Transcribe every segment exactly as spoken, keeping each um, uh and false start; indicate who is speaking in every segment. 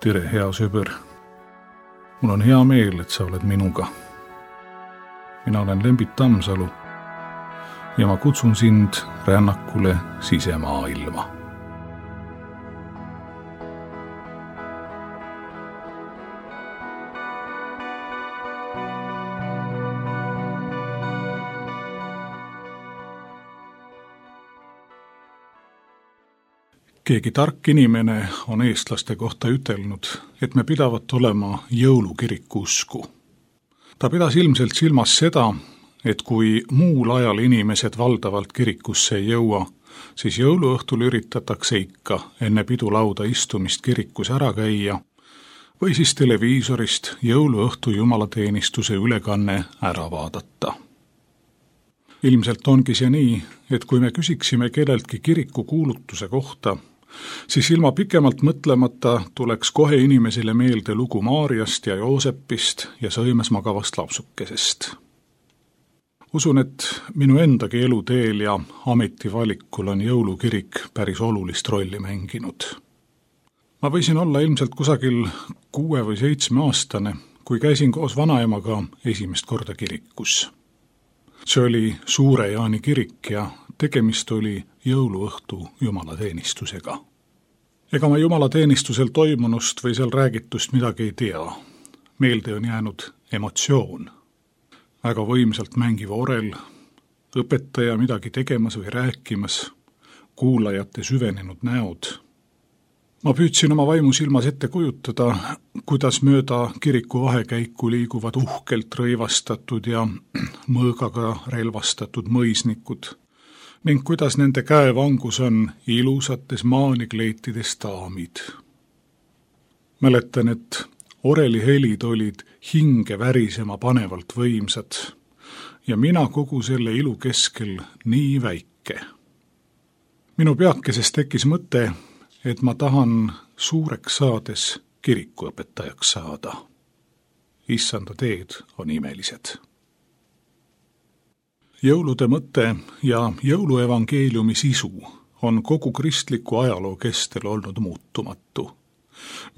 Speaker 1: tere, hea sõber. Mul on hea meel, et sa oled minuga. Mina olen Lembit Tammsalu ja ma kutsun sind rännakule sisemaailma. Keegi tark inimene on eestlaste kohta ütelnud, et me pidavat olema jõulukiriku usku. Ta pidas ilmselt silmas seda, et kui muul ajal inimesed valdavalt kirikusse ei jõua, siis jõuluõhtul üritatakse ikka enne pidulauda istumist kirikus ära käia või siis televiisorist jõuluõhtu jumalateenistuse ülekanne ära vaadata. Ilmselt ongi see nii, et kui me küsiksime kelleltki kiriku kuulutuse kohta, siis ilma pikemalt mõtlemata tuleks kohe inimesele meelde lugu Maarjast ja Joosepist ja sõimes magavast lapsukesest. Usun, et minu endagi eluteel ja ametivalikul on jõulukirik päris olulist rolli mänginud. Ma võisin olla ilmselt kusagil kuue või seitsme aastane, kui käisin koos vanaemaga esimest korda kirikus. See oli Suure Jaani kirik ja tegemist oli jõuluõhtu jumalateenistusega. Ega ma jumalateenistusel toimunust või seal räägitust midagi ei tea. Meelde on jäänud emotsioon. Väga võimsalt mängiv orel, õpetaja midagi tegemas või rääkimas, kuulajate süvenenud näod. Ma püüdsin oma vaimu silmas ette kujutada, kuidas mööda kiriku vahekäiku liiguvad uhkelt rõivastatud ja mõõgaga relvastatud mõisnikud ning kuidas nende käevangus on ilusates maanikleitides daamid. Mäletan, et oreli helid olid hinge värisema panevalt võimsad ja mina kogu selle ilu keskel nii väike. Minu peakeses tekkis mõte, et ma tahan suureks saades kirikuõpetajaks saada. Issanda teed on imelised. Jõulude mõte ja jõuluevangeeliumi sisu on kogu kristliku ajaloo kestel olnud muutumatu.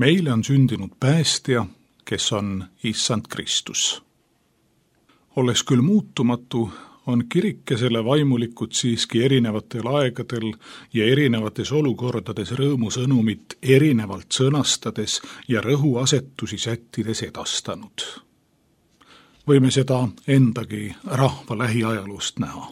Speaker 1: Meile on sündinud päästja, kes on Issand Kristus. Olles küll muutumatu, on kirik ja selle vaimulikud siiski erinevatel aegadel ja erinevates olukordades rõõmusõnumit erinevalt sõnastades ja rõhuasetusi sättides edastanud. Võime seda endagi rahva lähiajaloost näha.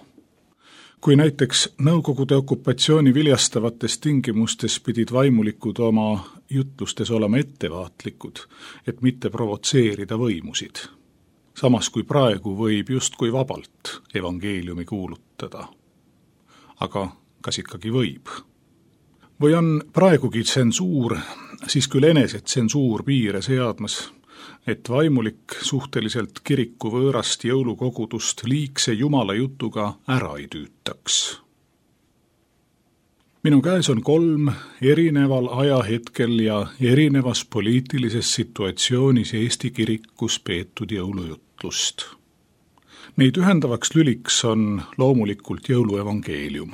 Speaker 1: Kui näiteks Nõukogude okupatsiooni viljastavates tingimustes pidid vaimulikud oma jutlustes olema ettevaatlikud, et mitte provotseerida võimusid. Samas kui praegu võib justkui vabalt evangeeliumi kuulutada. Aga kas ikkagi võib? Või on praegugi tsensuur, siis küll enese tsensuur piire seadmas, et vaimulik suhteliselt kiriku võõrast jõulukogudust liigse jumala jutuga ära ei tüütaks. Minu käes on kolm erineval ajahetkel ja erinevas poliitilises situatsioonis Eesti kirikus peetud jõulujutlust. Neid ühendavaks lüliks on loomulikult jõuluevangeelium.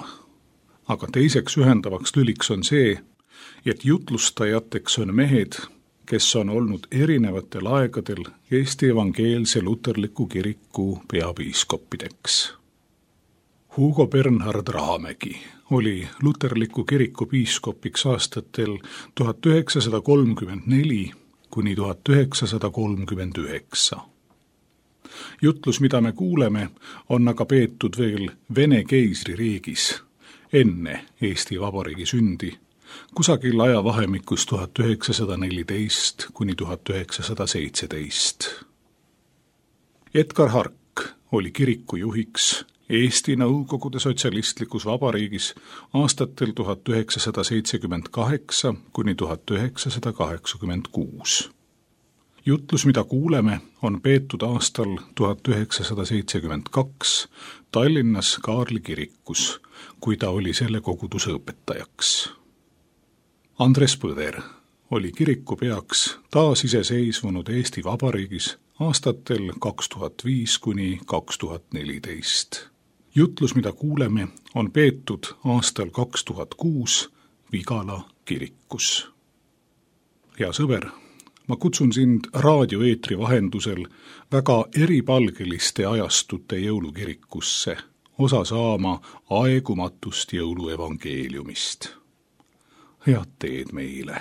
Speaker 1: Aga teiseks ühendavaks lüliks on see, et jutlustajateks on mehed, kes on olnud erinevatel aegadel Eesti evangeelse luterliku kiriku peapiiskoppideks. Hugo Bernhard Rahamägi oli luterliku kiriku piiskopiks aastatel tuhat üheksasada kolmkümmend neli kuni tuhat üheksasada kolmkümmend üheksa. Jutlus, mida me kuuleme, on aga peetud veel Vene keisririigis enne Eesti Vabariigi sündi, kusagil ajavahemikus tuhat üheksasada neliteist kuni tuhat üheksasada seitseteist. Edgar Hark oli kiriku juhiks Eesti Nõukogude Sotsialistlikus Vabariigis aastatel tuhat üheksasada seitsekümmend kaheksa kuni tuhat üheksasada kaheksakümmend kuus. Jutlus, mida kuuleme, on peetud aastal tuhat üheksasada seitsekümmend kaks Tallinnas Kaarli kirikus, kui ta oli selle koguduse õpetajaks. Andres Põder oli kiriku peaks taasiseseisvunud Eesti Vabariigis aastatel kaks tuhat viis kuni kaks tuhat neliteist. Jutlus, mida kuuleme, on peetud aastal kaks tuhat kuus Vigala kirikus. hea sõber, ma kutsun sind raadioeetri vahendusel väga eripalgeliste ajastute jõulukirikusse osa saama aegumatust jõuluevangeeliumist. Head teed meile!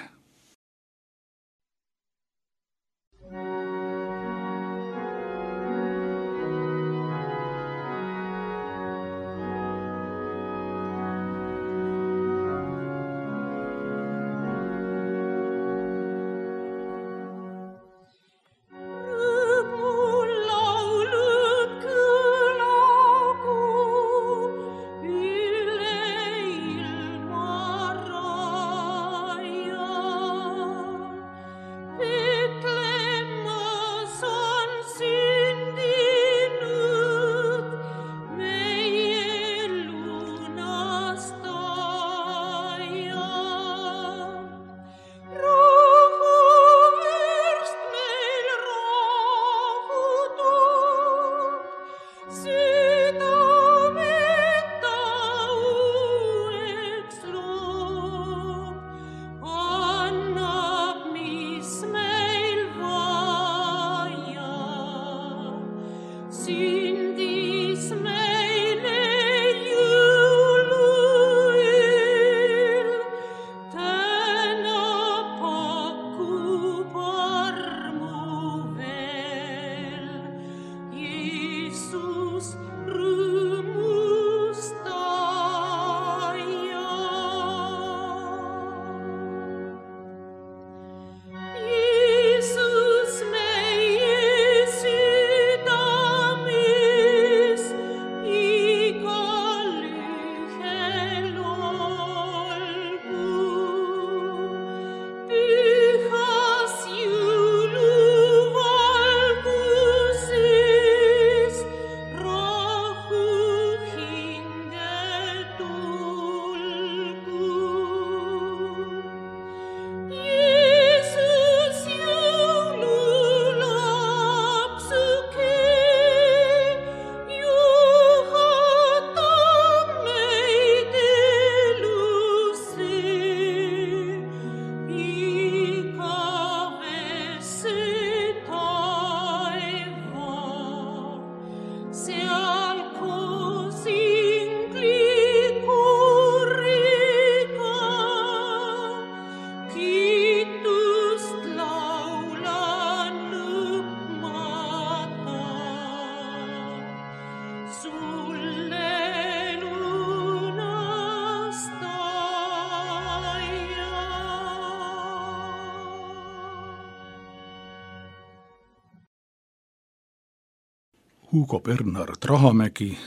Speaker 1: Hugo Bernhard Rahamägi,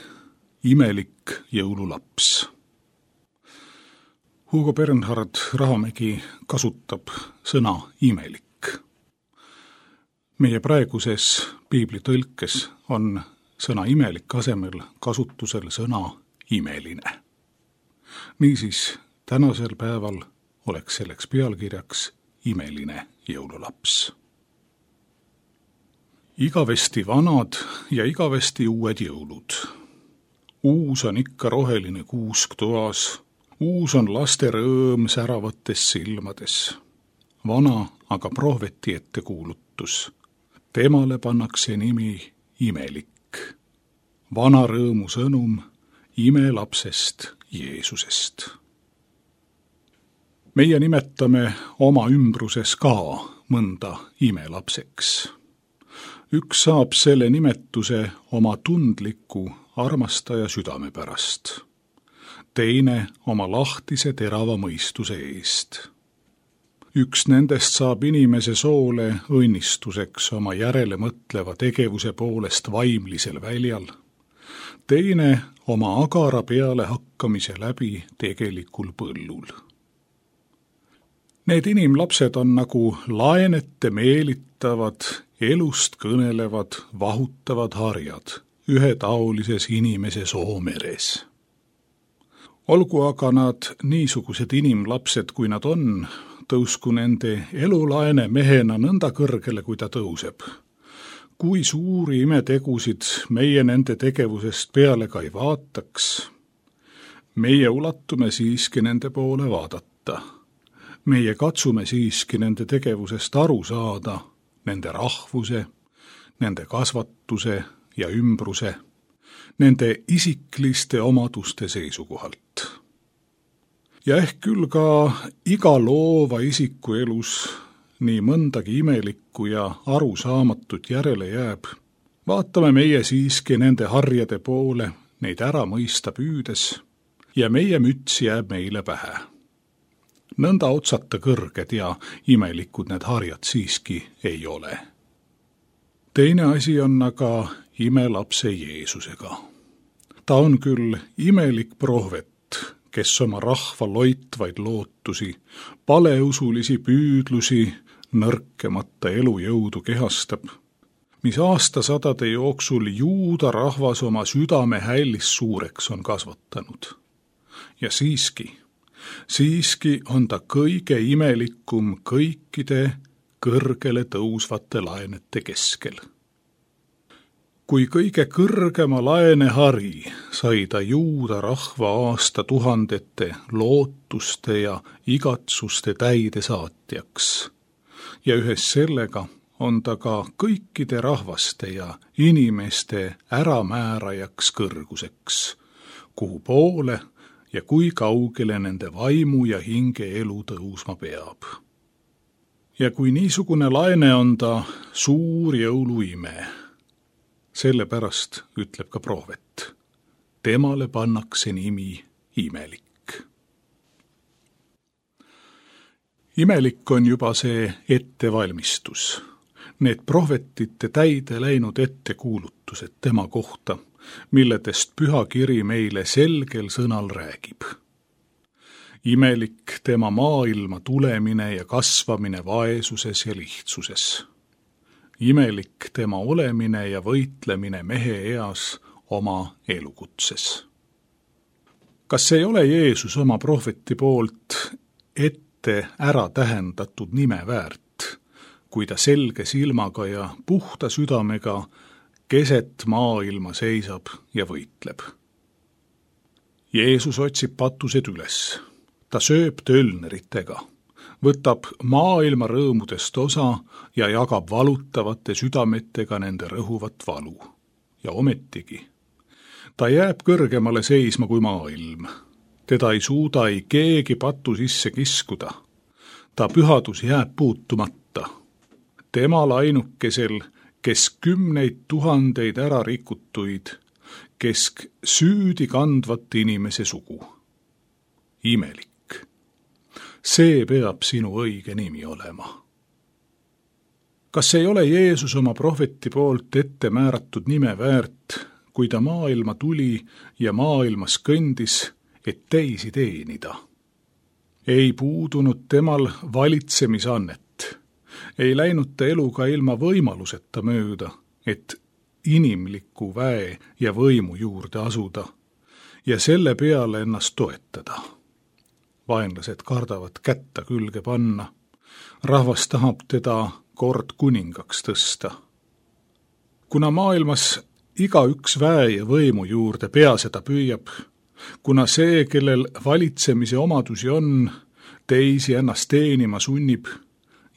Speaker 1: Imelik jõululaps. Hugo Bernhard Rahamägi kasutab sõna imelik. Meie praeguses piiblitõlkes on sõna imelik asemel kasutusel sõna imeline. Niisiis, tänasel päeval oleks selleks pealkirjaks imeline jõululaps. Igavesti vanad ja igavesti uued jõulud. Uus on ikka roheline kuusk toas, uus on laste rõõm säravates silmades. Vana aga prohveti ette kuulutus. Temale pannakse nimi Imelik. Vana rõõmu sõnum imelapsest Jeesusest. Meie nimetame oma ümbruses ka mõnda imelapseks. Üks saab selle nimetuse oma tundliku armastaja südame pärast. Teine oma lahtise terava mõistuse eest. Üks nendest saab inimese soole õnnistuseks oma järele mõtleva tegevuse poolest vaimlisel väljal. Teine oma agara peale hakkamise läbi tegelikul põllul. Need inimlapsed on nagu laenete meelitavad, elust kõnelevad, vahutavad harjad ühetaolises inimese soomeres. Olgu aga nad niisugused inimlapsed, kui nad on, tõusku nende elulaene mehena nõnda kõrgele, kui ta tõuseb. Kui suuri imetegusid meie nende tegevusest peale ka ei vaataks, meie ulatume siiski nende poole vaadata. meie katsume siiski nende tegevusest aru saada, nende rahvuse, nende kasvatuse ja ümbruse, nende isikliste omaduste seisukohalt. Ja ehk küll ka iga loova isiku elus nii mõndagi imelikku ja arusaamatut järele jääb, vaatame meie siiski nende harjade poole, neid ära mõista püüdes, ja meie müts jääb meile pähe. Nõnda otsata kõrged ja imelikud need harjad siiski ei ole. Teine asi on aga imelapse Jeesusega. Ta on küll imelik prohvet, kes oma rahva loitvaid lootusi, paleusulisi püüdlusi, nõrkemata elujõudu kehastab, mis aastasadade jooksul juuda rahvas oma südame hällis suureks on kasvatanud. Ja siiski, siiski on ta kõige imelikum kõikide kõrgele tõusvate laenete keskel. Kui kõige kõrgema laenehari sai ta juuda rahva aastatuhandete lootuste ja igatsuste täidesaatjaks, ja ühes sellega on ta ka kõikide rahvaste ja inimeste äramäärajaks kõrguseks, kuhu poole ja kui kaugele nende vaimu ja hinge elu tõusma peab. Ja kui niisugune laene on ta suur jõuluime, sellepärast ütleb ka prohvet, temale pannakse nimi imelik. Imelik on juba see ettevalmistus, need prohvetite täide läinud ettekuulutused tema kohta, milledest pühakiri meile selgel sõnal räägib. Imelik tema maailma tulemine ja kasvamine vaesuses ja lihtsuses. Imelik tema olemine ja võitlemine mehe eas oma elukutses. Kas ei ole Jeesus oma prohveti poolt ette ära tähendatud nime väärt, kui ta selge silmaga ja puhta südamega keset maailma seisab ja võitleb? Jeesus otsib patused üles, ta sööb tölneritega, võtab maailma rõõmudest osa ja jagab valutavate südametega nende rõhuvat valu. Ja ometigi, ta jääb kõrgemale seisma kui maailm. Teda ei suuda ei keegi patu sisse kiskuda. Ta pühadus jääb puutumata. Temal ainukesel, kes kümneid tuhandeid ära rikutuid, kesk süüdi kandvat inimese sugu. Imelik. See peab sinu õige nimi olema. Kas ei ole Jeesus oma prohveti poolt ette määratud nime väärt, kui ta maailma tuli ja maailmas kõndis, et teisi teenida? Ei puudunud temal valitsemisannet, ei läinud ta eluga ilma võimaluseta mööda, et inimliku väe ja võimu juurde asuda ja selle peale ennast toetada. Vaenlased kardavad kätta külge panna. Rahvas tahab teda kord kuningaks tõsta. Kuna maailmas iga üks väe ja võimu juurde pea seda püüab, kuna see, kellel valitsemise omadusi on, teisi ennast teenima sunnib,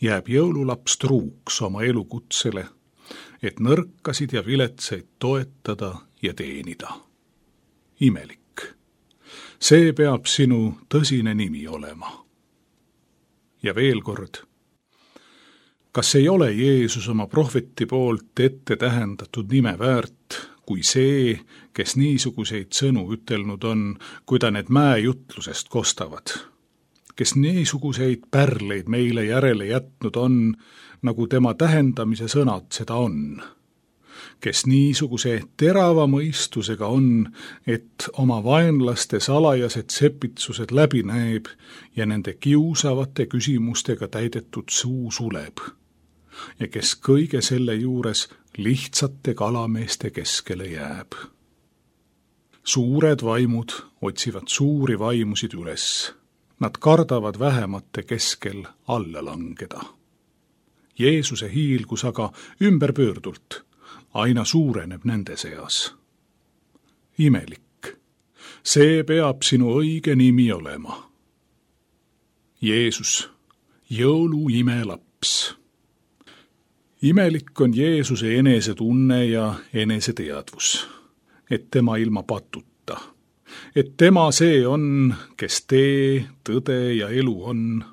Speaker 1: jääb jõululaps truuks oma elukutsele, et nõrkasid ja viletsaid toetada ja teenida. Imelik. See peab sinu tõsine nimi olema. Ja veel kord, kas ei ole Jeesus oma prohveti poolt ette tähendatud nime väärt, kui see, kes niisuguseid sõnu ütelnud on, kui ta need mäejutlusest kostavad, kes niisuguseid pärleid meile järele jätnud on, nagu tema tähendamise sõnad seda on, kes niisuguse terava mõistusega on, et oma vaenlaste salajased sepitsused läbi näeb ja nende kiusavate küsimustega täidetud suu suleb, ja kes kõige selle juures lihtsate kalameeste keskele jääb. Suured vaimud otsivad suuri vaimusid üles. Nad kardavad vähemate keskel alla langeda. Jeesuse hiilgus aga ümberpöördult aina suureneb nende seas. Imelik, see peab sinu õige nimi olema. Jeesus, jõulu imelaps. Imelik on Jeesuse enesetunne ja eneseteadvus, et tema ilma patuta, et tema see on, kes tee, tõde ja elu on,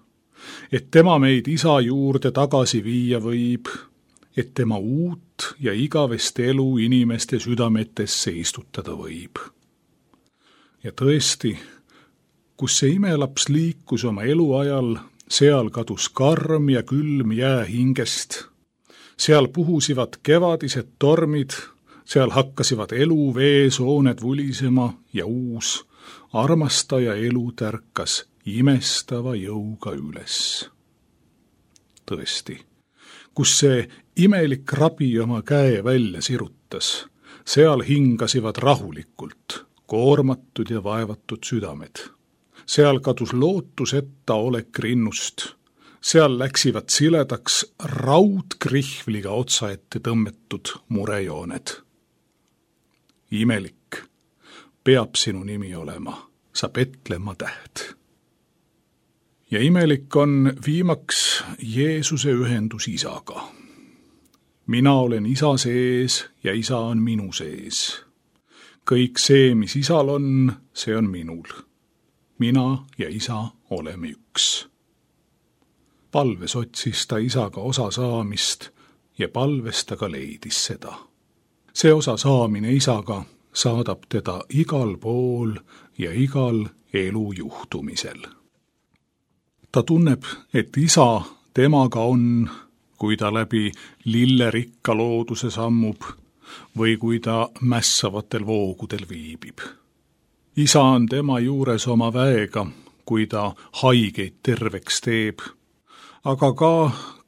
Speaker 1: et tema meid Isa juurde tagasi viia võib, et tema uut ja igavest elu inimeste südametesse istutada võib. Ja tõesti, kus see imelaps liikus oma eluajal, seal kadus karm ja külm jää hingest, seal puhusivad kevadised tormid, seal hakkasivad elu veesooned vulisema ja uus, armastaja elu tärkas imestava jõuga üles. Tõesti, kus see imelik rabi oma käe välja sirutas, seal hingasivad rahulikult koormatud ja vaevatud südamed. Seal kadus lootuseta olek rinnust, seal läksivad siledaks raudkrihvliga otsaette tõmmetud murejooned. Imelik peab sinu nimi olema, sa Petlemma täht. Ja imelik on viimaks Jeesuse ühendus Isaga. Mina olen Isa sees ja Isa on minu sees. Kõik see, mis Isal on, see on minul. Mina ja Isa oleme üks. Palves otsis ta Isaga osa saamist ja palves ta ka leidis seda. See osa saamine Isaga saadab teda igal pool ja igal elu juhtumisel. Ta tunneb, et Isa temaga on, kui ta läbi lillerikka looduse sammub või kui ta mässavatel voogudel viibib. Isa on tema juures oma väega, kui ta haigeid terveks teeb, aga ka,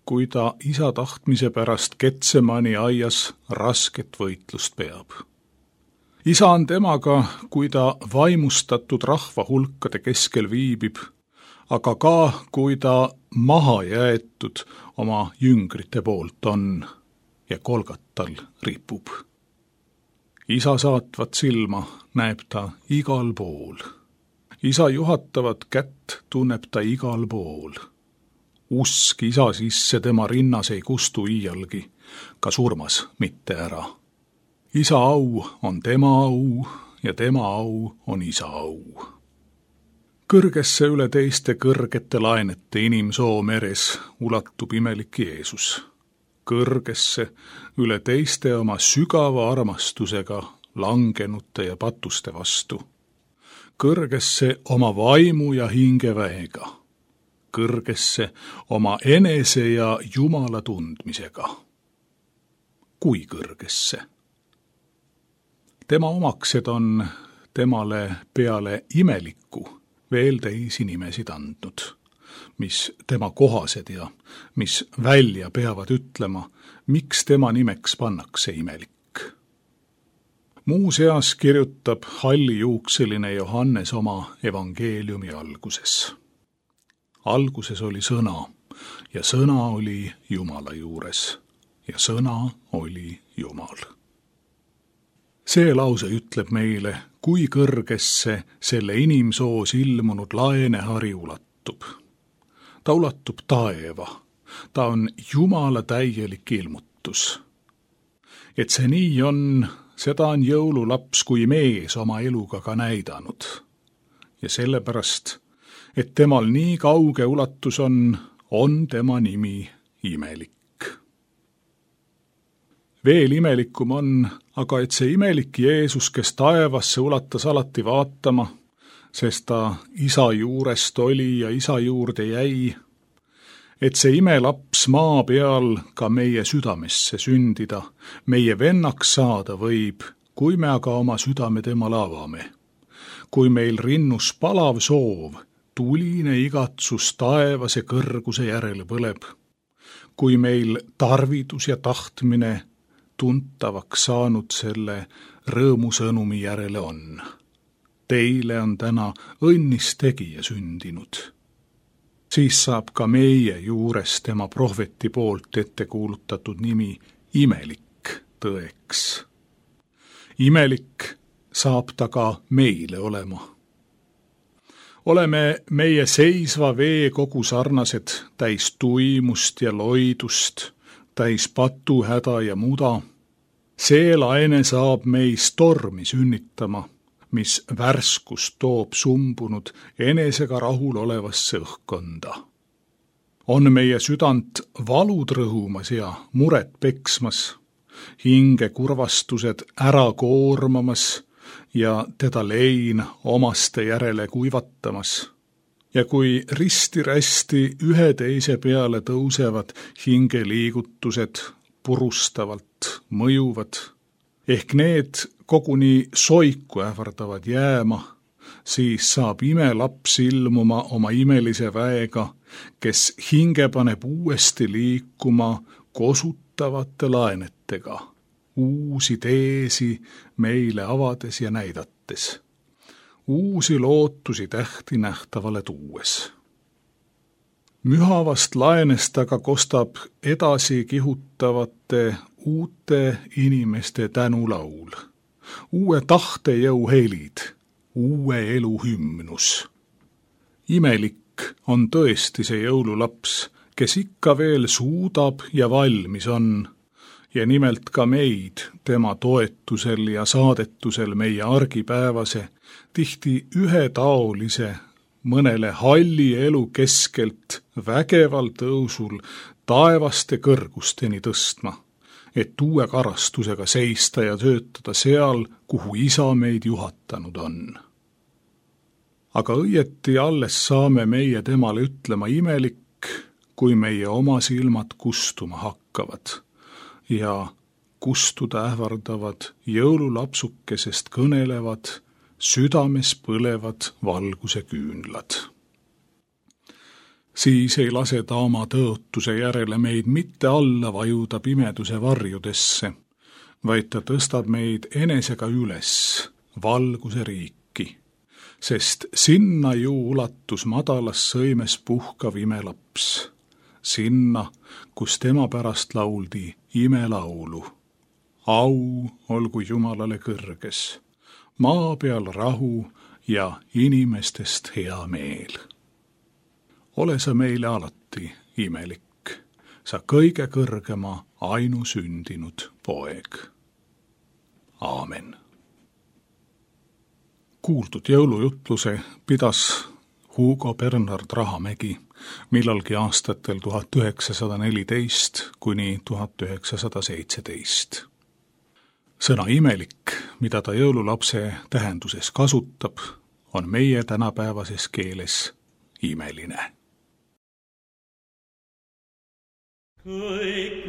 Speaker 1: kui ta Isa tahtmise pärast Getsemani aias rasket võitlust peab. Isa on temaga, kui ta vaimustatud rahva hulkade keskel viibib, aga ka, kui ta maha jäetud oma jüngrite poolt on ja Kolgatal ripub. Isa saatvat silma näeb ta igal pool. Isa juhatavat kätt tunneb ta igal pool. Usk Isa sisse tema rinnas ei kustu iialgi, ka surmas mitte ära. Isa au on tema au ja tema au on Isa au. Kõrgesse üle teiste kõrgete laenete inimsoo meres ulatub imelik Jeesus. Kõrgesse üle teiste oma sügava armastusega langenute ja patuste vastu. Kõrgesse oma vaimu ja hingeväega. Kõrgesse oma enese ja Jumala tundmisega. Kui kõrgesse? Tema omaksed on temale peale imelikku veel teisi nimesid andnud, mis tema kohased ja mis välja peavad ütlema, miks tema nimeks pannakse imelik. Muuseas kirjutab hallijuukseline Johannes oma evangeeliumi alguses. Alguses oli sõna ja sõna oli Jumala juures ja sõna oli Jumal. See lause ütleb meile, kui kõrgesse selle inimsoos ilmunud laenehari ulatub. Ta ulatub taeva, ta on Jumala täielik ilmutus. Et see nii on, seda on jõululaps kui mees oma eluga ka näidanud. Ja sellepärast, et temal nii kauge ulatus on, on tema nimi imelik. Veel imelikum on, aga et see imelik Jeesus, kes taevasse ulatas alati vaatama, sest ta Isa juurest oli ja Isa juurde jäi, et see imelaps maa peal ka meie südamesse sündida, meie vennaks saada võib, kui me aga oma südame temale avame. Kui meil rinnus palav soov, tuline igatsus taevase kõrguse järele põleb, kui meil tarvidus ja tahtmine tuntavaks saanud selle rõõmusõnumi järele on. Teile on täna õnnis tegija sündinud. Siis saab ka meie juures tema prohveti poolt ette kuulutatud nimi imelik tõeks. Imelik saab ta ka meile olema. Oleme meie seisva veekogu sarnased täis tuimust ja loidust, täis patuhäda ja muda. See laine saab meis tormi sünnitama, mis värskust toob sumbunud enesega rahul olevasse õhkkonda. On meie südant valud rõhumas ja muret peksmas, hinge kurvastused ära koormamas ja teda lein omaste järele kuivatamas. Ja kui risti-rästi ühe teise peale tõusevad hingeliigutused purustavalt mõjuvad, ehk need koguni soiku ähvardavad jääma, siis saab imelaps ilmuma oma imelise väega, kes hinge paneb uuesti liikuma kosutavate laenetega, uusi teesi meile avades ja näidates, uusi lootusi tähti nähtavale tuues. Mühavast laenest aga kostab edasi kihutavate uute inimeste tänulaul, uue tahtejõu helid, uue elu hümnus. Imelik on tõesti see jõululaps, kes ikka veel suudab ja valmis on, ja nimelt ka meid tema toetusel ja saadetusel meie argipäevase, tihti ühetaolise, mõnele halli elu keskelt vägeval tõusul taevaste kõrgusteni tõstma, et uue karastusega seista ja töötada seal, kuhu isa meid juhatanud on. Aga õieti alles saame meie temale ütlema imelik, kui meie oma silmad kustuma hakkavad ja kustuda ähvardavad jõululapsukesest kõnelevad, südames põlevad valguse küünlad. Siis ei lase ta oma tõotuse järele meid mitte alla vajuda pimeduse varjudesse, vaid ta tõstab meid enesega üles valguse riiki, sest sinna ju ulatus madalas sõimes puhkav imelaps, sinna, kus tema pärast lauldi imelaulu. Au olgu Jumalale kõrges, maa peal rahu ja inimestest hea meel. Ole sa meile alati imelik, sa kõige kõrgema ainusündinud poeg. Aamen. Kuuldud jõulujutluse pidas Hugo Bernhard Rahamägi millalgi aastatel tuhat üheksasada neliteist kuni tuhat üheksasada seitseteist. Sõna imelik, mida ta jõululapse tähenduses kasutab, on meie tänapäevases keeles imeline. Kõik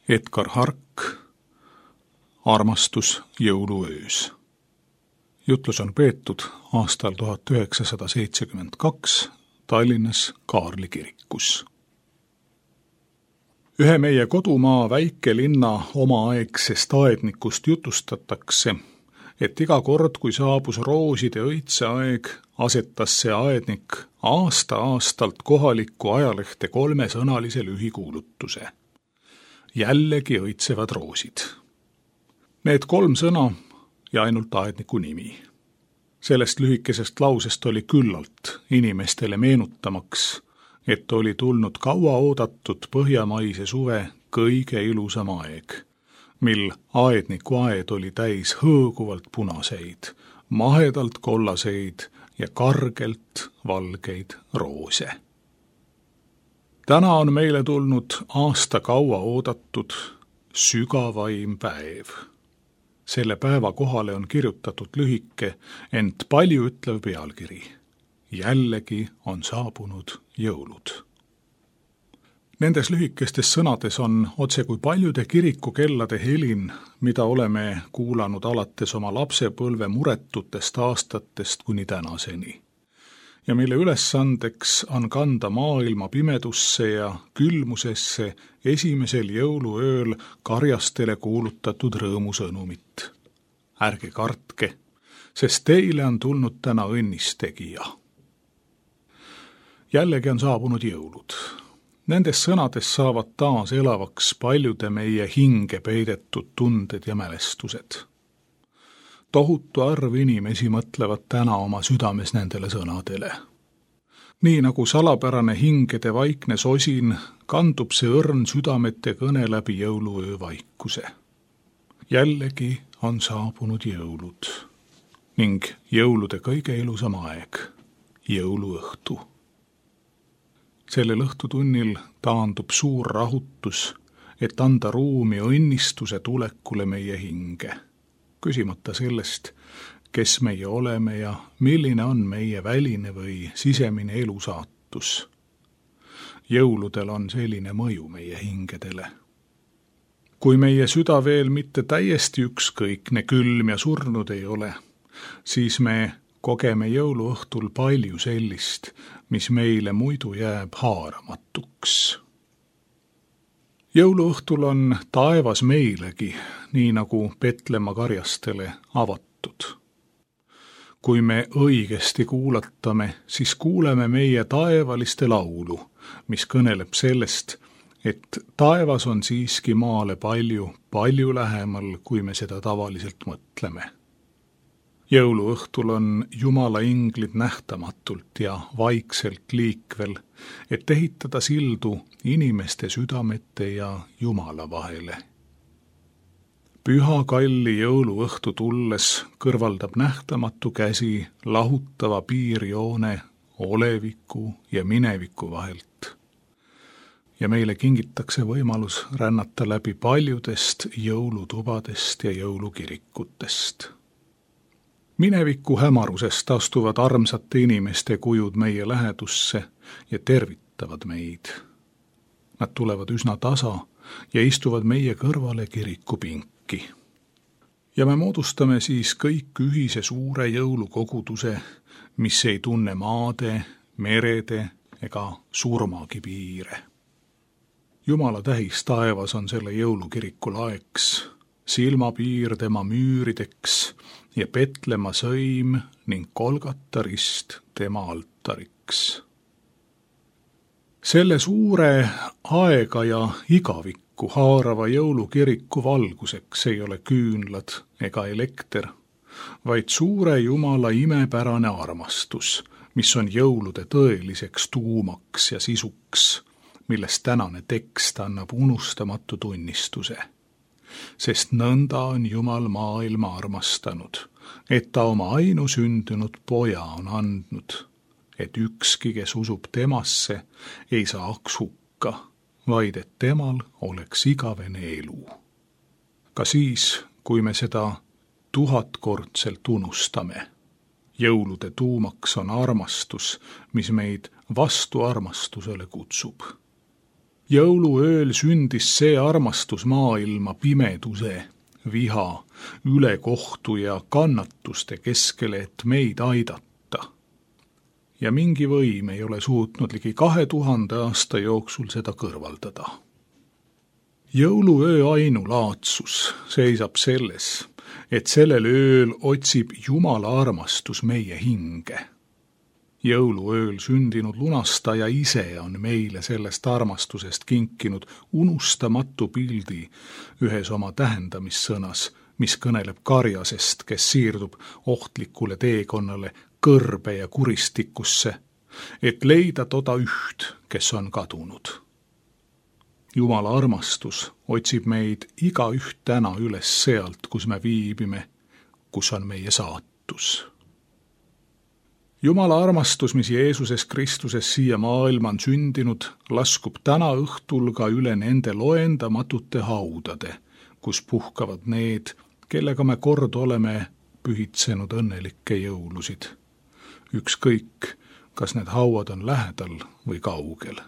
Speaker 1: Edgar Hark, Armastus jõuluöös. Jutlus on peetud aastal tuhat üheksasada seitsekümmend kaks Tallinnas Kaarli kirikus. Ühe meie kodumaa väikelinna omaaegsest aednikust jutustatakse, et iga kord, kui saabus rooside õitseaeg, asetas see aednik aasta-aastalt kohalikku ajalehte kolmesõnalise lühikuulutuse. Jällegi õitsevad roosid. Need kolm sõna ja ainult aedniku nimi. Sellest lühikesest lausest oli küllalt inimestele meenutamaks, et oli tulnud kaua oodatud põhjamaise suve kõige ilusam aeg, mil aedniku aed oli täis hõõguvalt punaseid, mahedalt kollaseid ja kargelt valgeid roose. Täna on meile tulnud aasta kaua oodatud sügavaim päev. Selle päeva kohale on kirjutatud lühike, ent palju ütlev pealkiri. Jällegi on saabunud jõulud. Nendes lühikestes sõnades on otse kui paljude kirikukellade helin, mida oleme kuulanud alates oma lapsepõlve muretutest aastatest kuni tänaseni. Ja mille ülesandeks on kanda maailma pimedusse ja külmusesse esimesel jõuluööl karjastele kuulutatud rõõmusõnumit. Ärge kartke, sest teile on tulnud täna õnnistegija. Jällegi on saabunud jõulud. Nendes sõnades saavad taas elavaks paljude meie hinge peidetud tunded ja mälestused. Tohutu arv inimesi mõtlevad täna oma südames nendele sõnadele. Nii nagu salapärane hingede vaikne sosin, kandub see õrn südamete kõne läbi jõuluöö vaikuse. Jällegi on saabunud jõulud ning jõulude kõige ilusam aeg, jõuluõhtu. Sellel õhtutunnil taandub suur rahutus, et anda ruumi õnnistuse tulekule meie hinge. Küsimata sellest, kes meie oleme ja milline on meie väline või sisemine elusaatus. Jõuludel on selline mõju meie hingedele. Kui meie süda veel mitte täiesti ükskõikne, külm ja surnud ei ole, siis me kogeme jõuluõhtul palju sellist, mis meile muidu jääb haaramatuks. Jõuluõhtul on taevas meilegi, nii nagu Petlemma karjastele avatud. Kui me õigesti kuulatame, siis kuuleme meie taevaliste laulu, mis kõneleb sellest, et taevas on siiski maale palju, palju lähemal, kui me seda tavaliselt mõtleme. Jõuluõhtul on Jumala inglid nähtamatult ja vaikselt liikvel, et ehitada sildu inimeste südamete ja Jumala vahele. Püha kalli jõuluõhtu tulles kõrvaldab nähtamatu käsi lahutava piirjoone oleviku ja mineviku vahelt. Ja meile kingitakse võimalus rännata läbi paljudest jõulutubadest ja jõulukirikutest. Mineviku hämarusest astuvad armsate inimeste kujud meie lähedusse ja tervitavad meid. Nad tulevad üsna tasa ja istuvad meie kõrvale kirikupinki. Ja me moodustame siis kõik ühise suure jõulukoguduse, mis ei tunne maade, merede ega surmagi piire. Jumala tähis taevas on selle jõulukiriku laeks, silmapiir tema müürideks ja Petlemma sõim ning Kolgata rist tema altariks. Selle suure aega ja igavikku haarava jõulukiriku valguseks ei ole küünlad ega elekter, vaid suure Jumala imepärane armastus, mis on jõulude tõeliseks tuumaks ja sisuks, millest tänane tekst annab unustamatu tunnistuse. Sest nõnda on Jumal maailma armastanud, et ta oma ainusündinud poja on andnud, et ükski, kes usub temasse, ei saaks hukka, vaid et temal oleks igavene elu. Ka siis, kui me seda tuhatkordselt unustame. Jõulude tuumaks on armastus, mis meid vastu armastusele kutsub. Jõuluööl sündis see armastus maailma pimeduse, viha, ülekohtu ja kannatuste keskele, et meid aidata. Ja mingi võim ei ole suutnud ligi kahe tuhande aasta jooksul seda kõrvaldada. Jõuluöö ainulaadsus seisab selles, et sellel ööl otsib Jumala armastus meie hinge. Jõuluööl sündinud lunastaja ise on meile sellest armastusest kinkinud unustamatu pildi ühes oma tähendamissõnas, mis kõneleb karjasest, kes siirdub ohtlikule teekonnale kõrbe ja kuristikusse, et leida toda üht, kes on kadunud. Jumala armastus otsib meid iga üht täna üles sealt, kus me viibime, kus on meie saatus. Jumala armastus, mis Jeesuses Kristuses siia maailma on sündinud, laskub täna õhtul ka üle nende loendamatute haudade, kus puhkavad need, kellega me kord oleme pühitsenud õnnelikke jõulusid. Ükskõik, kas need hauad on lähedal või kaugel.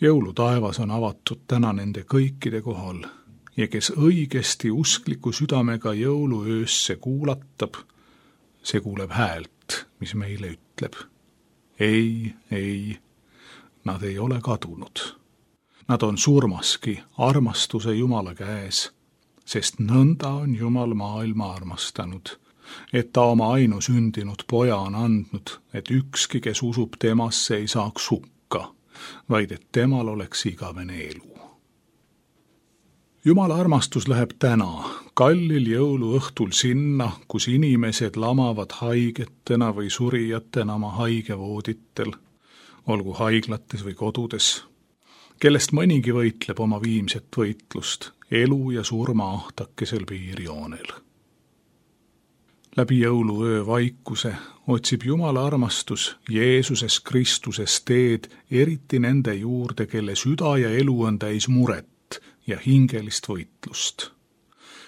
Speaker 1: Jõulutaevas on avatud täna nende kõikide kohal ja kes õigesti uskliku südamega jõuluöösse kuulatab, see kuuleb häält, mis meile ütleb. Ei, ei, nad ei ole kadunud. Nad on surmaski armastuse Jumala käes, sest nõnda on Jumal maailma armastanud, et ta oma ainusündinud poja on andnud, et ükski, kes usub temasse, ei saaks hukka, vaid et temal oleks igavene elu. Jumala armastus läheb täna, kallil jõuluõhtul sinna, kus inimesed lamavad haigetena või surijatena oma haigevooditel, olgu haiglates või kodudes, kellest mõnigi võitleb oma viimset võitlust elu ja surma ahtakesel piirjoonel. Läbi jõuluöö vaikuse otsib Jumala armastus Jeesuses Kristuses teed eriti nende juurde, kelle süda ja elu on täis muret ja hingelist võitlust,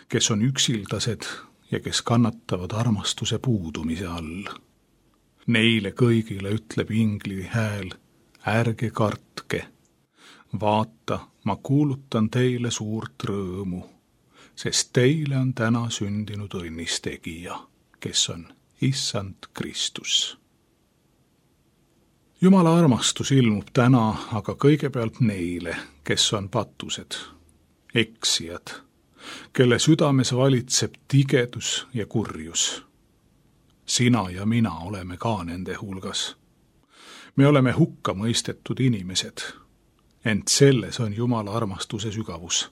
Speaker 1: kes on üksildased ja kes kannatavad armastuse puudumise all. Neile kõigile ütleb ingli hääl, ärge kartke, vaata, ma kuulutan teile suurt rõõmu, sest teile on täna sündinud õnnistegija, kes on Issand Kristus. Jumala armastus ilmub täna aga kõigepealt neile, kes on patused, eksijad, kelle südames valitseb tigedus ja kurjus. Sina ja mina oleme ka nende hulgas. Me oleme hukka mõistetud inimesed, ent selles on Jumala armastuse sügavus.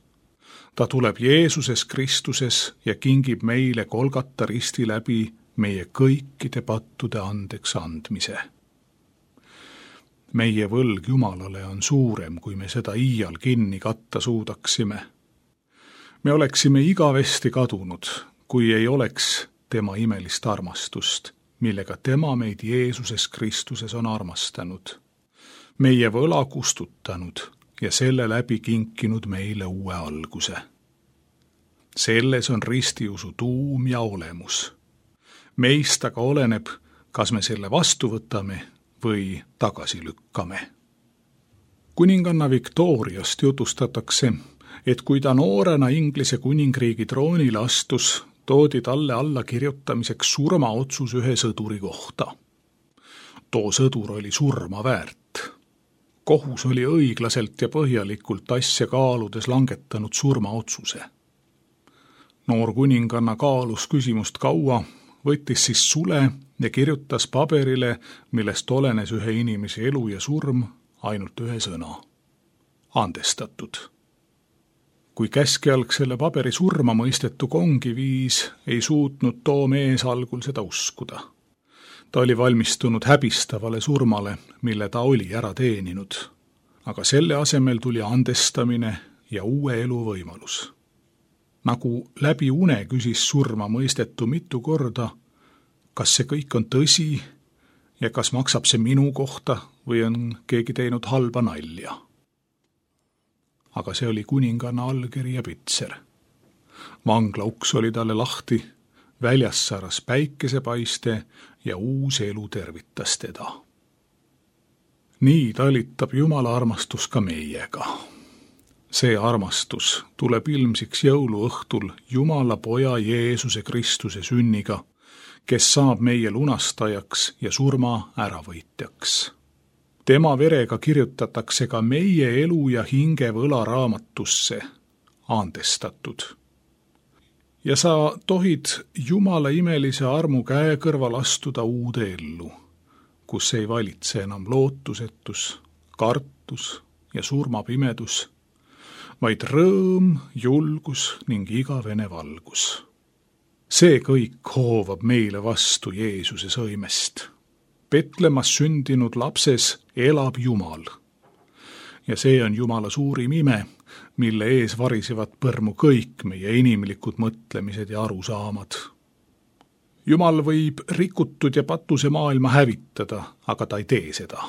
Speaker 1: Ta tuleb Jeesuses Kristuses ja kingib meile Golgata risti läbi meie kõikide pattude andeks andmise. Meie võlg Jumalale on suurem, kui me seda iial kinni katta suudaksime. Me oleksime igavesti kadunud, kui ei oleks tema imelist armastust, millega tema meid Jeesuses Kristuses on armastanud, meie võla kustutanud ja selle läbi kinkinud meile uue alguse. Selles on ristiusu tuum ja olemus. Meist aga oleneb, kas me selle vastu võtame või tagasi lükkame. Kuninganna Victoriast jutustatakse, et kui ta noorena Inglise kuningriigi troonile astus, toodi talle alla kirjutamiseks surmaotsus ühe sõduri kohta. Too sõdur oli surma väärt. Kohus oli õiglaselt ja põhjalikult asja kaaludes langetanud surmaotsuse. Noor kuninganna kaalus küsimust kaua, võttis siis sule ja kirjutas paberile, millest olenes ühe inimese elu ja surm, ainult ühe sõna. Andestatud. Kui käskjalg selle paberi surma mõistetu kongi viis, ei suutnud too mees algul seda uskuda. Ta oli valmistunud häbistavale surmale, mille ta oli ära teeninud, aga selle asemel tuli andestamine ja uue elu võimalus. Nagu läbi une küsis surma mõistetu mitu korda, kas see kõik on tõsi ja kas maksab see minu kohta või on keegi teinud halba nalja. Aga see oli kuninganna allkiri ja pitser. Vangla uks oli talle lahti, väljas saras päikesepaiste ja uus elu tervitas teda. Nii talitab Jumala armastus ka meiega. See armastus tuleb ilmsiks jõuluõhtul Jumala poja Jeesuse Kristuse sünniga, kes saab meie lunastajaks ja surma äravõitjaks. Tema verega kirjutatakse ka meie elu ja hinge võlaraamatusse, andestatud. Ja sa tohid Jumala imelise armu käe kõrval astuda uude ellu, kus ei valitse enam lootusetus, kartus ja surmapimedus, vaid rõõm, julgus ning igavene valgus. See kõik hoovab meile vastu Jeesuse sõimest. Petlemas sündinud lapses elab Jumal. Ja see on Jumala suurim ime, mille ees varisevad põrmu kõik meie inimlikud mõtlemised ja arusaamad. Jumal võib rikutud ja patuse maailma hävitada, aga ta ei tee seda.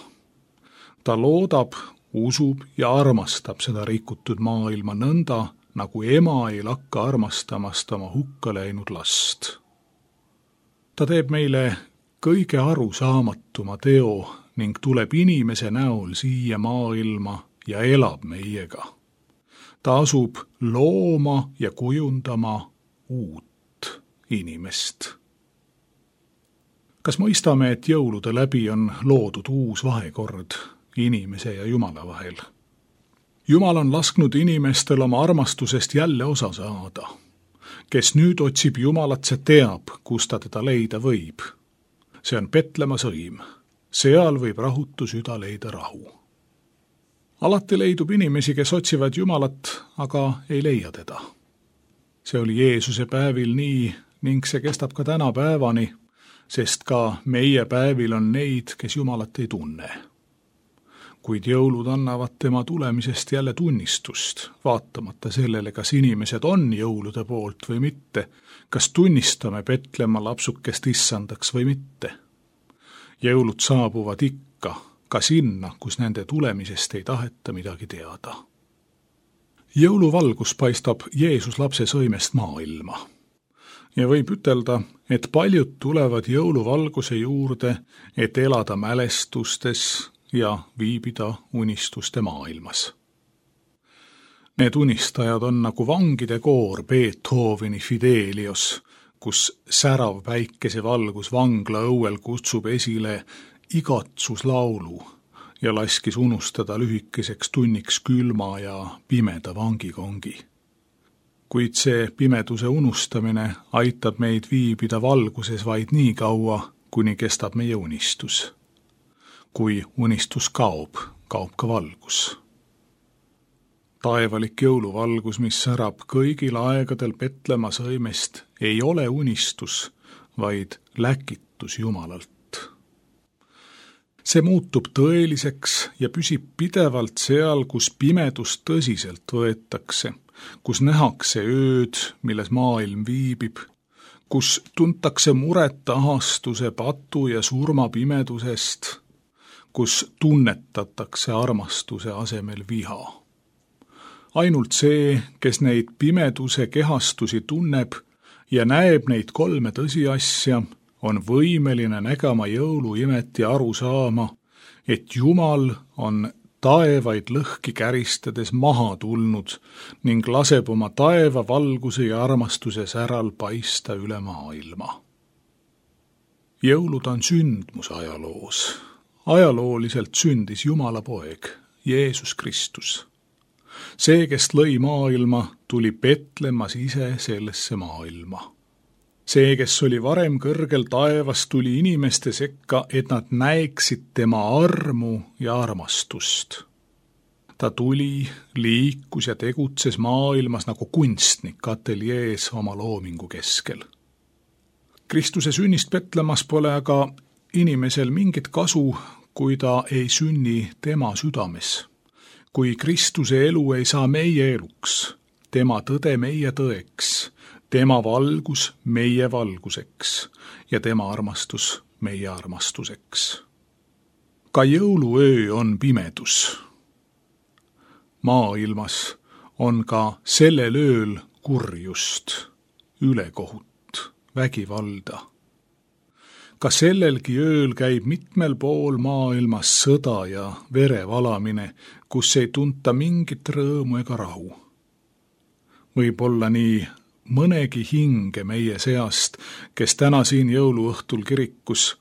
Speaker 1: Ta loodab, usub ja armastab seda rikutud maailma nõnda, nagu ema ei lakka armastamast oma hukka läinud last. Ta teeb meile kõige arusaamatuma teo ning tuleb inimese näol siia maailma ja elab meiega. Ta asub looma ja kujundama uut inimest. Kas mõistame, et jõulude läbi on loodud uus vahekord inimese ja Jumala vahel? Jumal on lasknud inimestel oma armastusest jälle osa saada. Kes nüüd otsib Jumalat, see teab, kus ta teda leida võib. See on Petlema sõim. Seal võib rahutu süda leida rahu. Alati leidub inimesi, kes otsivad Jumalat, aga ei leia teda. See oli Jeesuse päevil nii ning see kestab ka täna päevani, sest ka meie päevil on neid, kes Jumalat ei tunne. Kuid jõulud annavad tema tulemisest jälle tunnistust, vaatamata sellele, kas inimesed on jõulude poolt või mitte, kas tunnistame Petlema lapsukest issandaks või mitte. Jõulud saabuvad ikka, ka sinna, kus nende tulemisest ei taheta midagi teada. Jõuluvalgus paistab Jeesus lapse sõimest maailma. Ja võib ütelda, et paljud tulevad jõuluvalguse juurde, et elada mälestustes ja viibida unistuste maailmas. Need unistajad on nagu vangide koor Beethoveni Fidelios, kus särav päikesevalgus vangla õuel kutsub esile igatsuslaulu ja laskis unustada lühikeseks tunniks külma ja pimeda vangikongi. Kuid see pimeduse unustamine aitab meid viibida valguses vaid nii kaua, kuni kestab meie unistus. Kui unistus kaob, kaob ka valgus. Taevalik jõuluvalgus, mis särab kõigil aegadel Petlema sõimest, ei ole unistus, vaid läkitus Jumalalt. See muutub tõeliseks ja püsib pidevalt seal, kus pimedust tõsiselt võetakse, kus nähakse ööd, milles maailm viibib, kus tuntakse muret ahastuse, patu ja surma pimedusest, kus tunnetatakse armastuse asemel viha. Ainult see, kes neid pimeduse kehastusi tunneb ja näeb neid kolme tõsiasja, on võimeline nägema jõuluimet ja aru saama, et Jumal on taevaid lõhki käristades maha tulnud ning laseb oma taeva valguse ja armastuse säral paista üle maailma. Jõulud on sündmus ajaloos. Ajalooliselt sündis Jumala poeg, Jeesus Kristus. See, kes lõi maailma, tuli Petlemas ise sellesse maailma. See, kes oli varem kõrgel taevas, tuli inimeste sekka, et nad näeksid tema armu ja armastust. Ta tuli, liikus ja tegutses maailmas nagu kunstnik ateljees oma loomingu keskel. Kristuse sünnist Petlemas pole aga inimesel mingit kasu, kui ta ei sünni tema südames. Kui Kristuse elu ei saa meie eluks, tema tõde meie tõeks, tema valgus meie valguseks ja tema armastus meie armastuseks. Ka jõuluöö on pimedus. Maailmas on ka sellel ööl kurjust, ülekohut, vägivalda. ka sellelgi ööl käib mitmel pool maailmas sõda ja verevalamine, kus ei tunta mingit rõõmu ega rahu. Võib-olla nii mõnegi hinge meie seast, kes täna siin jõuluõhtul kirikus,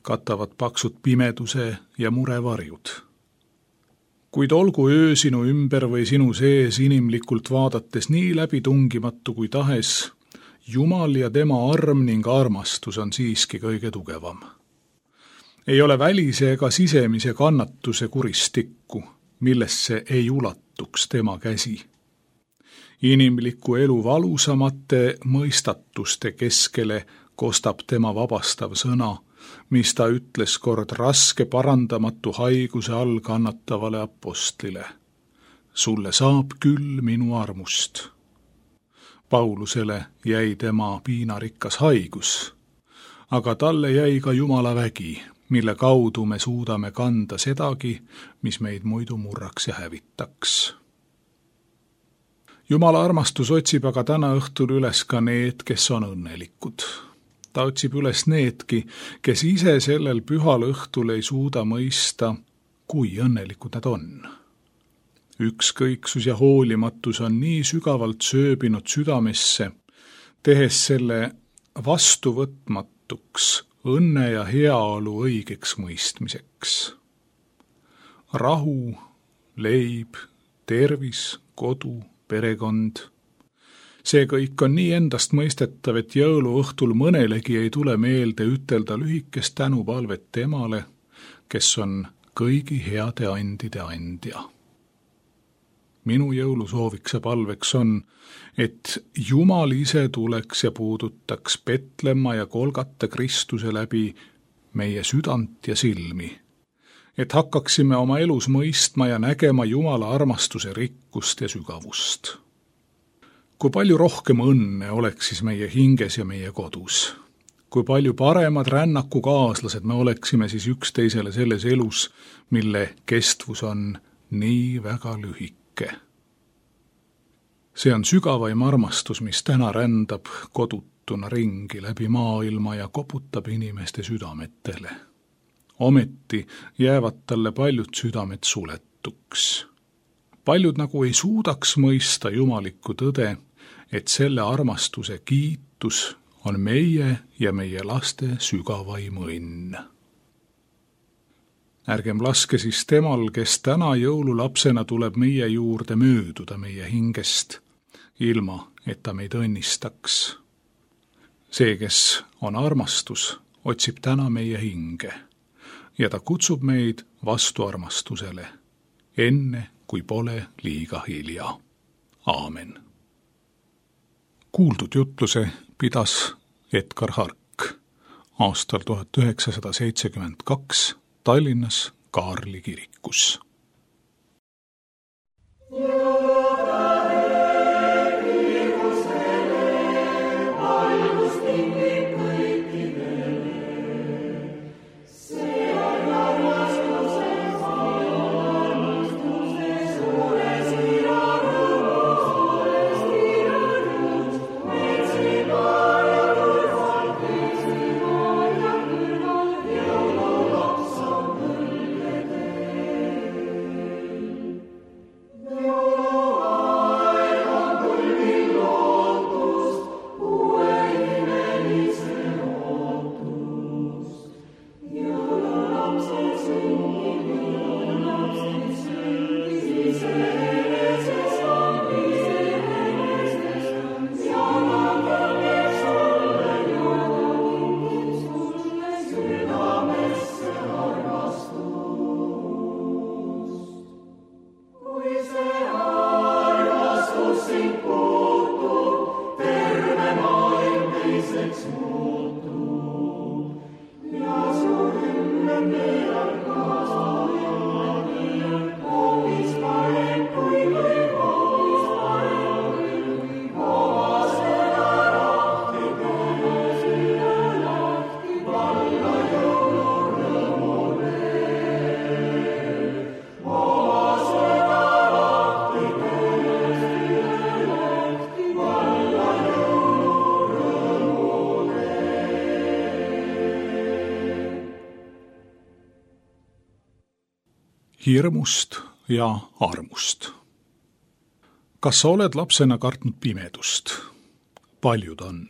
Speaker 1: katavad paksud pimeduse ja murevarjud. Kuid olgu öö sinu ümber või sinu sees inimlikult vaadates nii läbitungimatu kui tahes, Jumal ja tema arm ning armastus on siiski kõige tugevam. Ei ole välise ega sisemise kannatuse kuristikku, millesse ei ulatuks tema käsi. Inimliku elu valusamate mõistatuste keskele kostab tema vabastav sõna, mis ta ütles kord raske parandamatu haiguse all kannatavale apostlile. Sulle saab küll minu armust. Paulusele jäi tema piinarikkas haigus, aga talle jäi ka Jumala vägi, mille kaudu me suudame kanda sedagi, mis meid muidu murraks ja hävitaks. Jumala armastus otsib aga täna õhtul üles ka need, kes on õnnelikud. Ta otsib üles needki, kes ise sellel pühal õhtul ei suuda mõista, kui õnnelikud nad on. Ükskõiksus ja hoolimatus on nii sügavalt sööbinud südamesse, tehes selle vastuvõtmatuks õnne ja heaolu õigeks mõistmiseks. Rahu, leib, tervis, kodu, perekond. See kõik on nii endast mõistetav, et jõuluõhtul mõnelegi ei tule meelde ütelda lühikest tänupalvet temale, kes on kõigi heade andide andja. Minu jõulusooviks ja palveks on, et Jumal ise tuleks ja puudutaks Petlemma ja Golgata Kristuse läbi meie südant ja silmi, et hakkaksime oma elus mõistma ja nägema Jumala armastuse rikkust ja sügavust. Kui palju rohkem õnne oleks siis meie hinges ja meie kodus? Kui palju paremad rännakukaaslased me oleksime siis üksteisele selles elus, mille kestvus on nii väga lühike? See on sügavaim armastus, mis täna rändab kodutuna ringi läbi maailma ja koputab inimeste südametele. Ometi jäävad talle paljud südamed suletuks. Paljud nagu ei suudaks mõista jumalikku tõde, et selle armastuse kiitus on meie ja meie laste sügavaim õnn. Ärgem laske siis temal, kes täna jõululapsena tuleb meie juurde mööduda meie hingest, ilma et ta meid õnnistaks. See, kes on armastus, otsib täna meie hinge ja ta kutsub meid vastu armastusele, enne kui pole liiga hilja. Aamen. Kuuldud jutluse pidas Edgar Hark aastal tuhat üheksasada seitsekümmend kaks Tallinnas Kaarli kirikus. hirmust ja armust. Kas sa oled lapsena kartnud pimedust? Paljud on.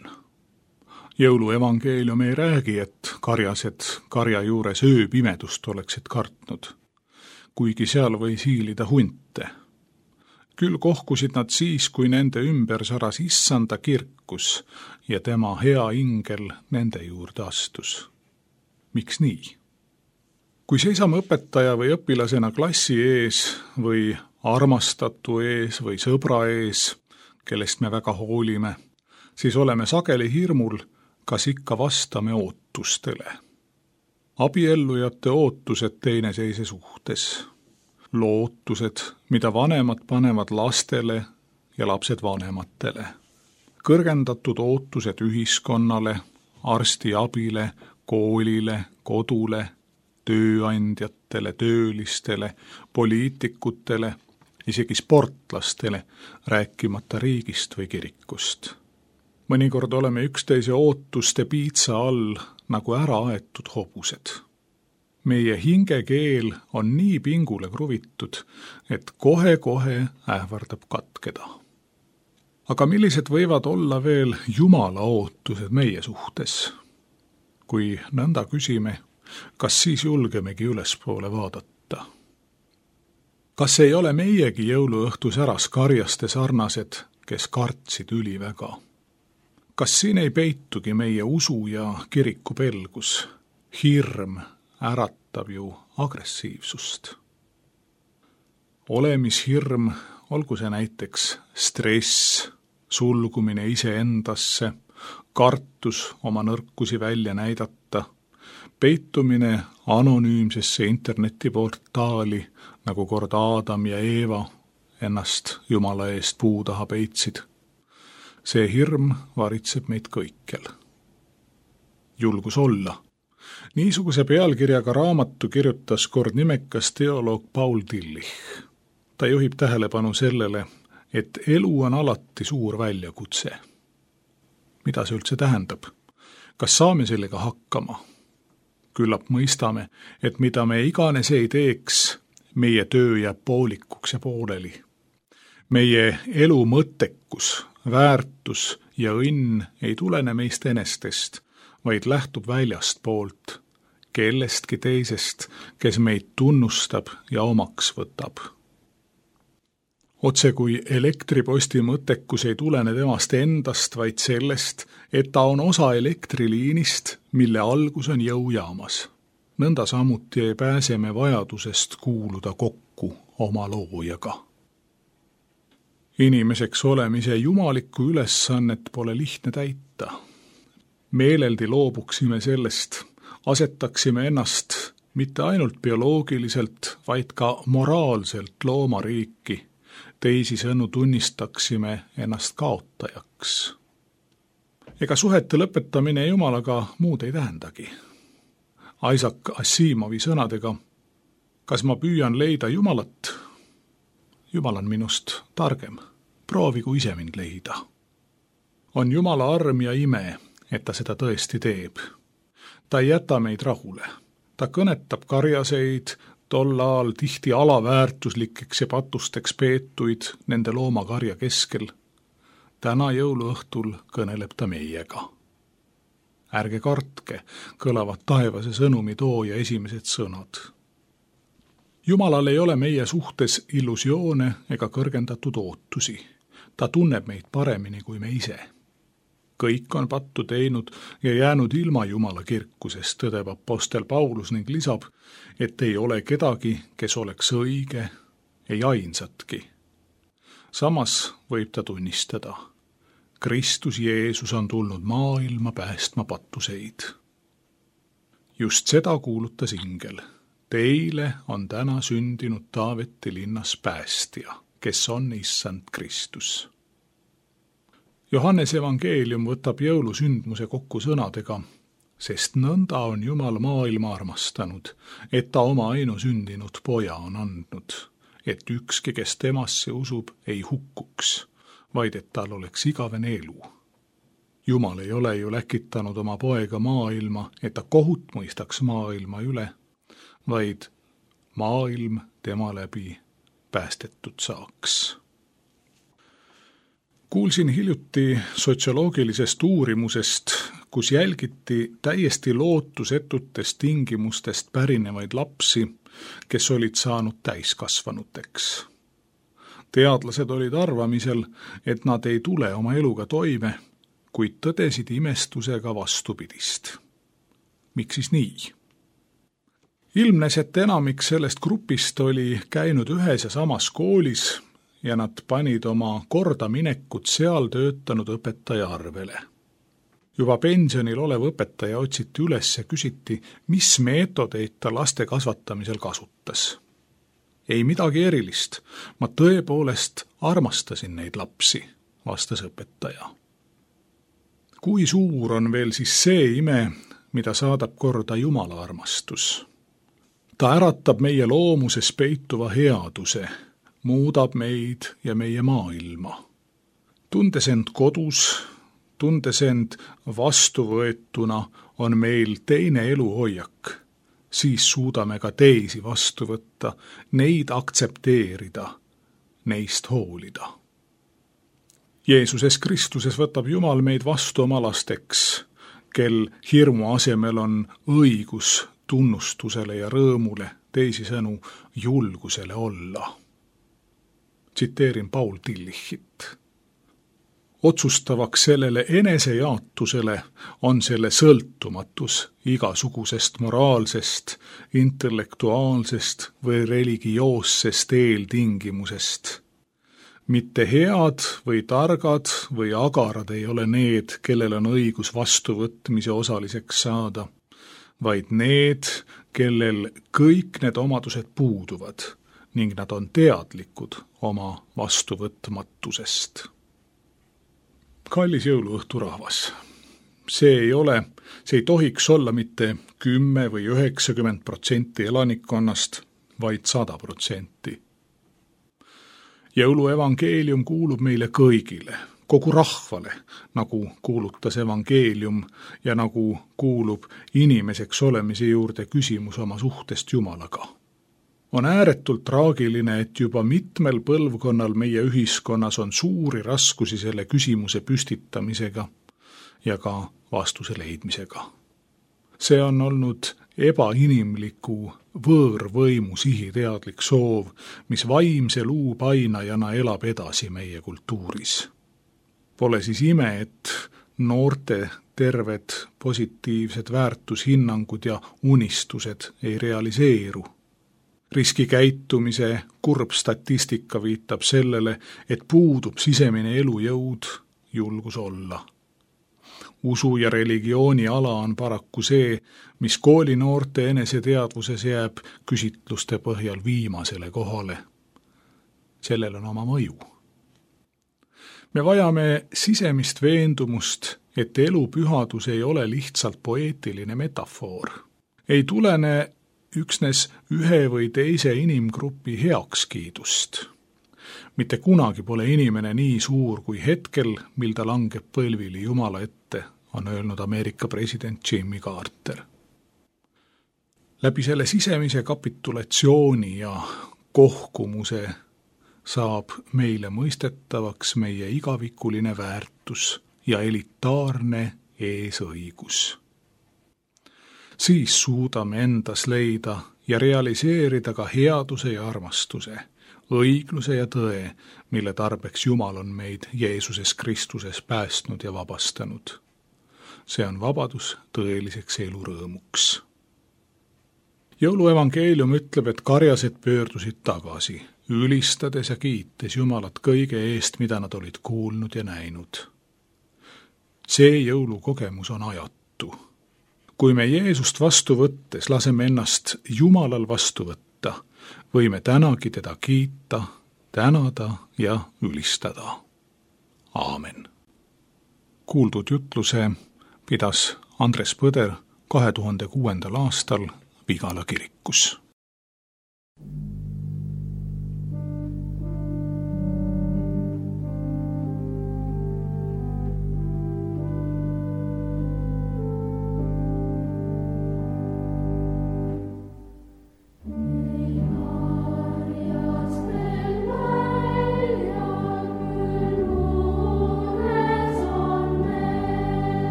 Speaker 1: Jõuluevangeelium ei räägi, et karjased karja juures ööpimedust oleksid kartnud, kuigi seal võis hiilida hunte. Küll kohkusid nad siis, kui nende ümber saras issanda kirkus ja tema hea ingel nende juurde astus. Miks nii? Kui seisame õpetaja või õpilasena klassi ees või armastatu ees või sõbra ees, kellest me väga hoolime, siis oleme sageli hirmul, kas ikka vastame ootustele. Abiellujate ootused teineteise suhtes. Lootused, mida vanemad panevad lastele ja lapsed vanematele. Kõrgendatud ootused ühiskonnale, arstiabile, koolile, kodule, tööandjatele, töölistele, poliitikutele, isegi sportlastele, rääkimata riigist või kirikust. Mõnikord oleme üksteise ootuste piitsa all nagu ära aetud hobused. Meie hingekeel on nii pingule kruvitud, et kohe-kohe ähvardab katkeda. Aga millised võivad olla veel Jumala ootused meie suhtes? Kui nõnda küsime, kas siis julgemegi ülespoole vaadata? Kas ei ole meiegi jõuluõhtu säras karjaste sarnased, kes kartsid üliväga? Kas siin ei peitugi meie usu ja kiriku pelgus? Hirm äratab ju agressiivsust. Olemishirm, olgu see näiteks stress, sulgumine iseendasse, kartus oma nõrkusi välja näidata, peitumine anonüümsesse internetiportaali, nagu kord Aadam ja Eeva ennast Jumala eest puu taha peitsid. See hirm varitseb meid kõikjal. Julgus olla. Niisuguse pealkirjaga raamatu kirjutas kord nimekas teoloog Paul Tillich. Ta juhib tähelepanu sellele, et elu on alati suur väljakutse. Mida see üldse tähendab? Kas saame sellega hakkama? Küllap mõistame, et mida me iganes ei teeks, meie töö jääb poolikuks ja pooleli. Meie elu mõttekus, väärtus ja õnn ei tulene meist enestest, vaid lähtub väljast poolt, kellestki teisest, kes meid tunnustab ja omaks võtab. Otse kui elektriposti mõttekus ei tulene temast endast, vaid sellest, et ta on osa elektriliinist, mille algus on jõujaamas. Nõnda samuti ei pääse me vajadusest kuuluda kokku oma loojaga. Inimeseks olemise jumalikku ülesannet pole lihtne täita. Meeleldi loobuksime sellest, asetaksime ennast mitte ainult bioloogiliselt, vaid ka moraalselt loomariiki, teisisõnu tunnistaksime ennast kaotajaks. Ega suhete lõpetamine Jumalaga muud ei tähendagi. Isaac Asimovi sõnadega, kas ma püüan leida Jumalat? Jumal on minust targem, proovigu ise mind leida. On Jumala arm ja ime, et ta seda tõesti teeb. Ta ei jäta meid rahule. Ta kõnetab karjaseid, tollaal tihti alaväärtuslikeks ja patusteks peetuid nende loomakarja keskel. Täna jõuluõhtul kõneleb ta meiega. Ärge kartke, kõlavad taevase sõnumi tooja esimesed sõnad. Jumalal ei ole meie suhtes illusioone ega kõrgendatud ootusi. Ta tunneb meid paremini kui me ise. Kõik on pattu teinud ja jäänud ilma Jumala kirkusest, tõdeb apostel Paulus ning lisab, et ei ole kedagi, kes oleks õige, ei ainsatki. Samas võib ta tunnistada, Kristus Jeesus on tulnud maailma päästma pattuseid. Just seda kuulutas ingel. Teile on täna sündinud Taaveti linnas päästja, kes on issand Kristus. Johannese evangeelium võtab jõulusündmuse kokku sõnadega, sest nõnda on Jumal maailma armastanud, et ta oma ainusündinud poja on andnud, et ükski, kes temasse usub, ei hukkuks, vaid et tal oleks igavene elu. Jumal ei ole ju läkitanud oma poega maailma, et ta kohut mõistaks maailma üle, vaid maailm tema läbi päästetud saaks. Kuulsin hiljuti sotsioloogilisest uurimusest, kus jälgiti täiesti lootusetutest tingimustest pärinevaid lapsi, kes olid saanud täiskasvanuteks. Teadlased olid arvamisel, et nad ei tule oma eluga toime, kuid tõdesid imestusega vastupidist. Miks siis nii? Ilmnes, et enamik sellest grupist oli käinud ühes ja samas koolis ja nad panid oma kordaminekut seal töötanud õpetaja arvele. Juba pensionil olev õpetaja otsiti üles ja küsiti, mis meetodeid ta laste kasvatamisel kasutas. Ei midagi erilist, ma tõepoolest armastasin neid lapsi, vastas õpetaja. Kui suur on veel siis see ime, mida saadab korda Jumala armastus? Ta äratab meie loomuses peituva headuse, muudab meid ja meie maailma. Tundes end kodus, tundes end vastuvõetuna, on meil teine eluhoiak. Siis suudame ka teisi vastu võtta, neid aktsepteerida, neist hoolida. Jeesuses Kristuses võtab Jumal meid vastu oma lasteks, kel hirmu asemel on õigus tunnustusele ja rõõmule, teisisõnu julgusele olla. Tsiteerin Paul Tillichit. Otsustavaks sellele enesejaatusele on selle sõltumatus igasugusest moraalsest, intellektuaalsest või religioossest eeltingimusest. Mitte head või targad või agarad ei ole need, kellel on õigus vastuvõtmise osaliseks saada, vaid need, kellel kõik need omadused puuduvad ning nad on teadlikud oma vastuvõtmatusest. Kallis jõuluõhturahvas, see ei ole, see ei tohiks olla mitte kümme või üheksakümmend protsenti elanikkonnast, vaid sada protsenti. Jõuluevangeelium kuulub meile kõigile, kogu rahvale, nagu kuulutas evangeelium ja nagu kuulub inimeseks olemise juurde küsimus oma suhtest Jumalaga. On ääretult traagiline, et juba mitmel põlvkonnal meie ühiskonnas on suuri raskusi selle küsimuse püstitamisega ja ka vastuse leidmisega. See on olnud ebainimliku võõrvõimu sihiteadlik soov, mis vaimse luupainajana elab edasi meie kultuuris. Pole siis ime, et noorte terved positiivsed väärtushinnangud ja unistused ei realiseeru. Riskikäitumise kurb statistika viitab sellele, et puudub sisemine elujõud, julgus olla. Usu ja religiooni ala on paraku see, mis koolinoorte eneseteadvuses jääb küsitluste põhjal viimasele kohale. Sellel on oma mõju. Me vajame sisemist veendumust, et elu pühadus ei ole lihtsalt poeetiline metafoor. Ei tulene üksnes ühe või teise inimgrupi heakskiidust. Mitte kunagi pole inimene nii suur kui hetkel, mil ta langeb põlvili Jumala ette, on öelnud Ameerika president Jimmy Carter. Läbi selle sisemise kapitulatsiooni ja kohkumuse saab meile mõistetavaks meie igavikuline väärtus ja elitaarne eesõigus. Siis suudame endas leida ja realiseerida ka headuse ja armastuse, õigluse ja tõe, mille tarbeks Jumal on meid Jeesuses Kristuses päästnud ja vabastanud. See on vabadus tõeliseks elurõõmuks. Jõuluevangeelium ütleb, et karjased pöördusid tagasi, ülistades ja kiites Jumalat kõige eest, mida nad olid kuulnud ja näinud. See jõulukogemus on ajatu. Kui me Jeesust vastu võttes laseme ennast Jumalal vastu võtta, võime tänagi teda kiita, tänada ja ülistada. Aamen. Kuuldud jutluse pidas Andres Põder kahe tuhande kuuendal aastal Vigala kirikus.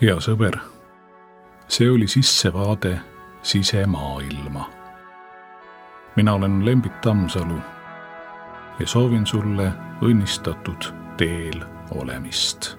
Speaker 1: hea sõber, see oli sissevaade sisemaailma. Mina olen Lembit Tammsalu ja soovin sulle õnnistatud teel olemist.